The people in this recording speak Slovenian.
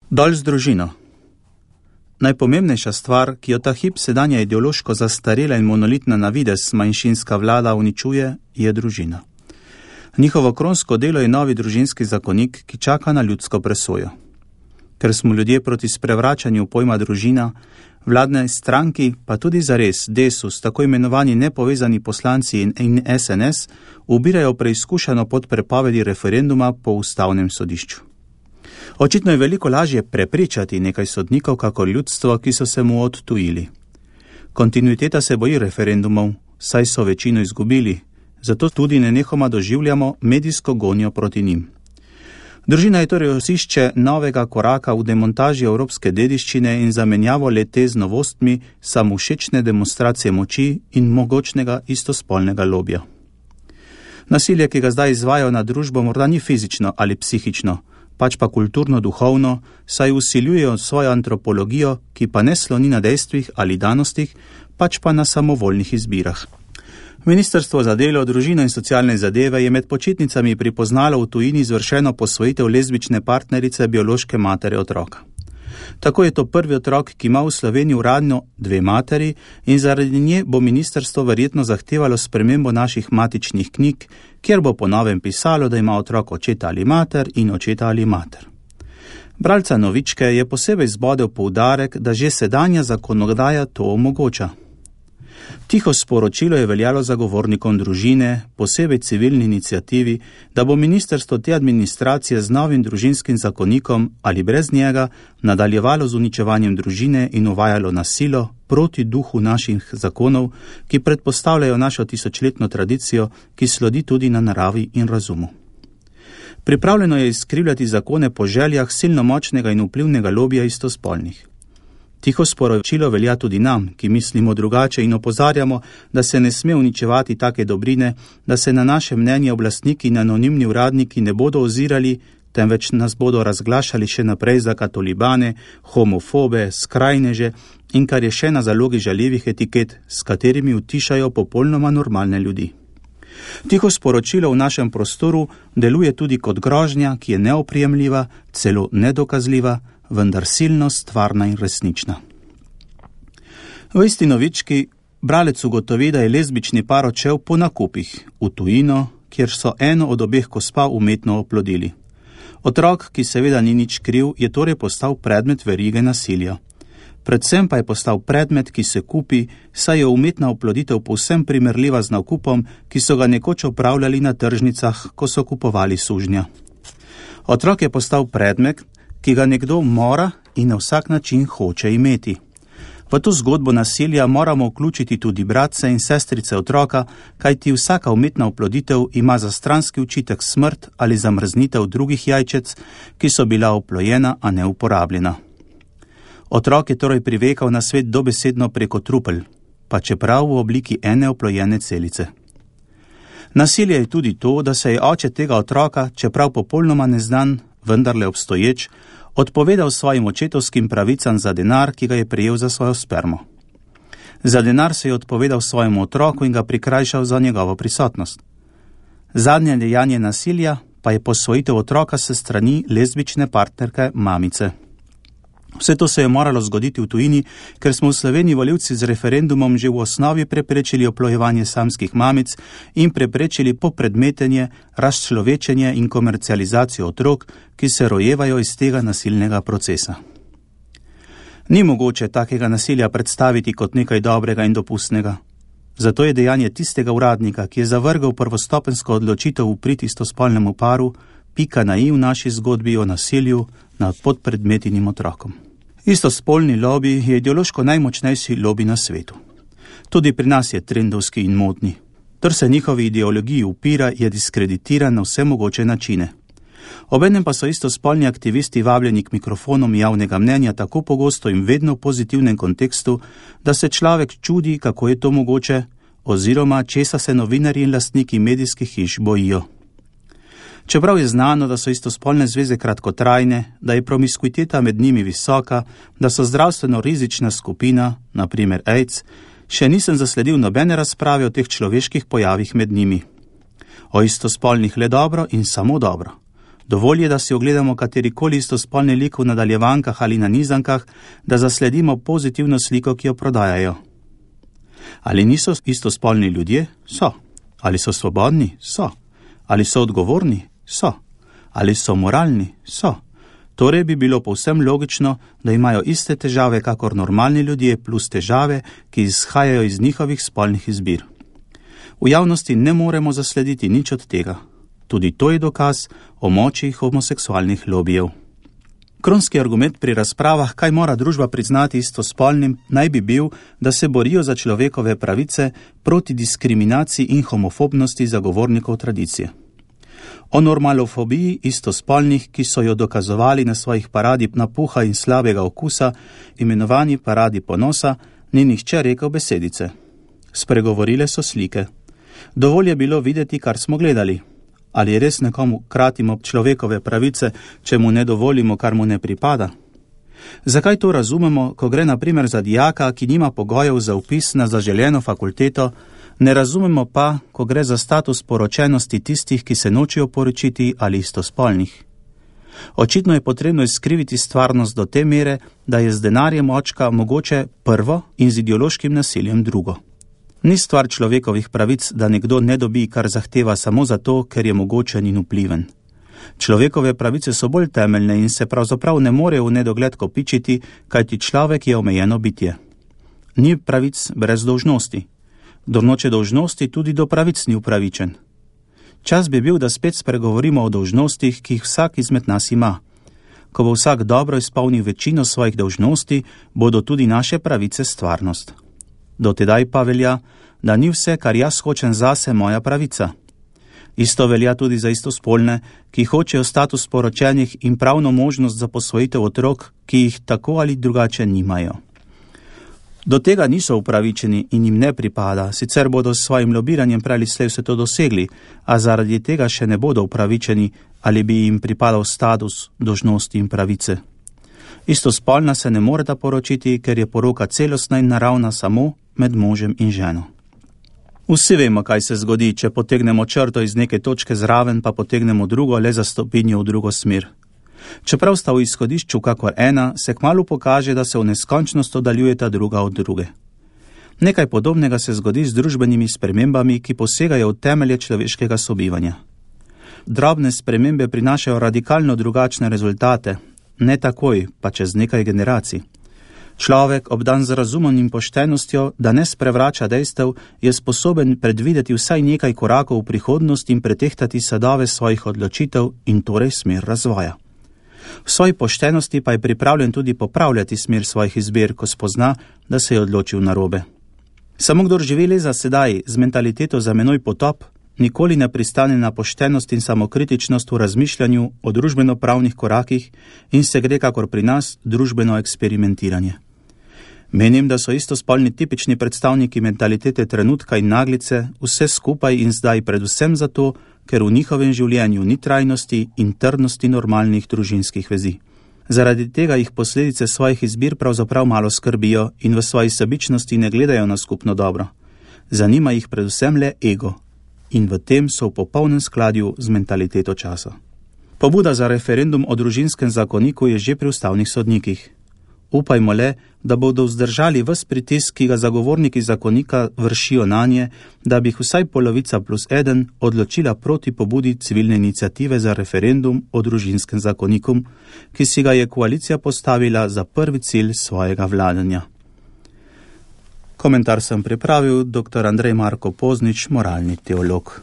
Dol z družino. Najpomembnejša stvar, ki jo ta hip sedanja ideološko zastarela in monolitna na videz manjšinska vlada uničuje, je družina. Njihovo kronsko delo je novi družinski zakonik, ki čaka na ljudsko presojo. Ker smo ljudje proti sprevračanju pojma družina, vladne stranki, pa tudi zares Desus, tako imenovani nepovezani poslanci in SNS, ubirajo preizkušeno pod prepovedi referenduma po ustavnem sodišču. Očitno je veliko lažje prepričati nekaj sodnikov, kakor ljudstvo, ki so se mu odtujili. Kontinuiteta se boji referendumov, saj so večino izgubili, zato tudi nenehoma doživljamo medijsko gonjo proti njim. Družina je torej osišče novega koraka v demontaži evropske dediščine in zamenjavo le-te z novostmi samovšečne demonstracije moči in mogočnega istospolnega lobija. Nasilje, ki ga zdaj izvajajo na družbo, morda ni fizično ali psihično, pač pa kulturno-duhovno, saj usiljujejo svojo antropologijo, ki pa ne sloni na dejstvih ali danostih, pač pa na samovoljnih izbirah. Ministrstvo za delo, družino in socialne zadeve je med počitnicami pripoznalo v tujini izvršeno posvojitev lezbične partnerice biološke matere otroka. Tako je to prvi otrok, ki ima v Sloveniji uradno 2 materi in zaradi nje bo ministrstvo verjetno zahtevalo spremembo naših matičnih knjig, kjer bo po novem pisalo, da ima otrok očeta ali mater in očeta ali mater. Bralca Novičke je posebej zbodel poudarek, da že sedanja zakonodaja to omogoča. Tiho sporočilo je veljalo zagovornikom družine, posebej civilni iniciativi, da bo ministrstvo te administracije z novim družinskim zakonikom ali brez njega nadaljevalo z uničevanjem družine in uvajalo nasilo proti duhu naših zakonov, ki predpostavljajo našo tisočletno tradicijo, ki slodi tudi na naravi in razumu. Pripravljeno je izkrivljati zakone po željah silno močnega in vplivnega lobija istospolnih. Tiho sporočilo velja tudi nam, ki mislimo drugače in opozarjamo, da se ne sme uničevati take dobrine, da se na naše mnenje oblastniki in anonimni uradniki ne bodo ozirali, temveč nas bodo razglašali še naprej za katolibane, homofobe, skrajneže in kar je še na zalogi žaljivih etiket, s katerimi utišajo popolnoma normalne ljudi. Tiho sporočilo v našem prostoru deluje tudi kot grožnja, ki je neoprijemljiva, celo nedokazljiva, vendar silno stvarna in resnična. V isti novički bralec ugotovi, da je lezbični par odšel po nakupih v tujino, kjer so eno od obeh gospa umetno oplodili. Otrok, ki seveda ni nič kriv, je torej postal predmet verige nasilja. Predvsem pa je postal predmet, ki se kupi, saj je umetna oploditev povsem primerljiva z nakupom, ki so ga nekoč opravljali na tržnicah, ko so kupovali sužnja. Otrok je postal predmet, ki ga nekdo mora in na vsak način hoče imeti. V to zgodbo nasilja moramo vključiti tudi bratce in sestrice otroka, kajti vsaka umetna oploditev ima za stranski učitek smrt ali zamrznitev drugih jajčec, ki so bila oplojena, a ne uporabljena. Otrok je torej privekal na svet dobesedno preko trupel, pa čeprav v obliki ene oplojene celice. Nasilje je tudi to, da se je oče tega otroka, čeprav popolnoma neznan, vendarle obstoječ, odpovedal svojim očetovskim pravicam za denar, ki ga je prejel za svojo spermo. Za denar se je odpovedal svojemu otroku in ga prikrajšal za njegovo prisotnost. Zadnje dejanje nasilja pa je posvojitev otroka s strani lezbične partnerke mamice. Vse to se je moralo zgoditi v tujini, ker smo v Sloveniji volivci z referendumom že v osnovi preprečili oplojevanje samskih mamic in preprečili popredmetenje, razčlovečenje in komercializacijo otrok, ki se rojevajo iz tega nasilnega procesa. Ni mogoče takega nasilja predstaviti kot nekaj dobrega in dopustnega. Zato je dejanje tistega uradnika, ki je zavrgal prvostopenjsko odločitev v prid istospolnemu paru, pika na i v naši zgodbi o nasilju nad podpredmetinim otrokom. Istospolni lobby je ideološko najmočnejši lobby na svetu. Tudi pri nas je trendovski in modni. Ter se njihovi ideologiji upira, je diskreditiran na vse mogoče načine. Obenem pa so istospolni aktivisti vabljeni k mikrofonom javnega mnenja tako pogosto in vedno v pozitivnem kontekstu, da se človek čudi, kako je to mogoče, oziroma česa se novinarji in lastniki medijskih hiš bojijo. Čeprav je znano, da so istospolne zveze kratkotrajne, da je promiskuiteta med njimi visoka, da so zdravstveno rizična skupina, na primer AIDS, še nisem zasledil nobene razprave o teh človeških pojavih med njimi. O istospolnih le dobro in samo dobro. Dovolj je, da si ogledamo katerikoli istospolni lik v nadaljevankah ali na nizankah, da zasledimo pozitivno sliko, ki jo prodajajo. Ali niso istospolni ljudje? So. Ali so svobodni? So. Ali so odgovorni? So. Ali so moralni? So. Torej bi bilo povsem logično, da imajo iste težave kakor normalni ljudje plus težave, ki izhajajo iz njihovih spolnih izbir. V javnosti ne moremo zaslediti nič od tega. Tudi to je dokaz o moči homoseksualnih lobijev. Kronski argument pri razpravah, kaj mora družba priznati istospolnim, naj bi bil, da se borijo za človekove pravice proti diskriminaciji in homofobnosti zagovornikov tradicije. O normalofobiji istospolnih, ki so jo dokazovali na svojih paradi napuha in slabega okusa, imenovani paradi ponosa, ni nihče rekel besedice. Spregovorile so slike. Dovolj je bilo videti, kar smo gledali. Ali res nekomu kratimo človekove pravice, če mu ne dovolimo, kar mu ne pripada? Zakaj to razumemo, ko gre na primer za dijaka, ki nima pogojev za vpis na zaželeno fakulteto, ne razumemo pa, ko gre za status poročenosti tistih, ki se nočejo poročiti ali istospolnih? Očitno je potrebno izkriviti stvarnost do te mere, da je z denarjem očka mogoče prvo in z ideološkim nasiljem drugo. Ni stvar človekovih pravic, da nekdo ne dobi, kar zahteva samo zato, ker je mogočen in vpliven. Človekove pravice so bolj temeljne in se pravzaprav ne morejo v nedogled kopičiti, kajti človek je omejeno bitje. Ni pravic brez dolžnosti. Kdor noče dolžnosti, tudi do pravic ni upravičen. Čas bi bil, da spet spregovorimo o dolžnostih, ki jih vsak izmed nas ima. Ko bo vsak dobro izpolnil večino svojih dolžnosti, bodo tudi naše pravice stvarnost. Do tedaj pa velja, da ni vse, kar jaz hočem zase, moja pravica. Isto velja tudi za istospolne, ki hočejo status poročenih in pravno možnost za posvojitev otrok, ki jih tako ali drugače nimajo. Do tega niso upravičeni in jim ne pripada, sicer bodo s svojim lobiranjem prej ali slej vse to dosegli, a zaradi tega še ne bodo upravičeni ali bi jim pripadal status dolžnosti in pravice. Istospolna se ne moreta poročiti, ker je poroka celostna in naravna samo med možem in ženo. Vsi vemo, kaj se zgodi, če potegnemo črto iz neke točke zraven, pa potegnemo drugo le za stopinjo v drugo smer. Čeprav sta v izhodišču kakor ena, se kmalu pokaže, da se v neskončnost oddaljujeta druga od druge. Nekaj podobnega se zgodi z družbenimi spremembami, ki posegajo v temelje človeškega sobivanja. Drobne spremembe prinašajo radikalno drugačne rezultate, ne takoj, pa čez nekaj generacij. Človek, obdan z razumom in poštenostjo, da ne sprevrača dejstev, je sposoben predvideti vsaj nekaj korakov v prihodnost in pretehtati sadove svojih odločitev in torej smer razvoja. V svoji poštenosti pa je pripravljen tudi popravljati smer svojih izbir, ko spozna, da se je odločil narobe. Samo kdor živi le za sedaj z mentaliteto za menoj potop, nikoli ne pristane na poštenost in samokritičnost v razmišljanju o družbeno-pravnih korakih in se gre kakor pri nas družbeno eksperimentiranje. Menim, da so istospolni tipični predstavniki mentalitete trenutka in naglice, vse skupaj in zdaj predvsem zato, ker v njihovem življenju ni trajnosti in trdnosti normalnih družinskih vezi. Zaradi tega jih posledice svojih izbir pravzaprav malo skrbijo in v svoji sebičnosti ne gledajo na skupno dobro. Zanima jih predvsem le ego in v tem so v popolnem skladju z mentaliteto časa. Pobuda za referendum o družinskem zakoniku je že pri ustavnih sodnikih. Upajmo le, da bodo vzdržali ves pritisk, ki ga zagovorniki zakonika vršijo nanje, da bi jih vsaj polovica plus eden odločila proti pobudi civilne iniciative za referendum o družinskem zakoniku, ki si ga je koalicija postavila za prvi cilj svojega vladanja. Komentar sem pripravil dr. Andrej Marko Poznič, moralni teolog.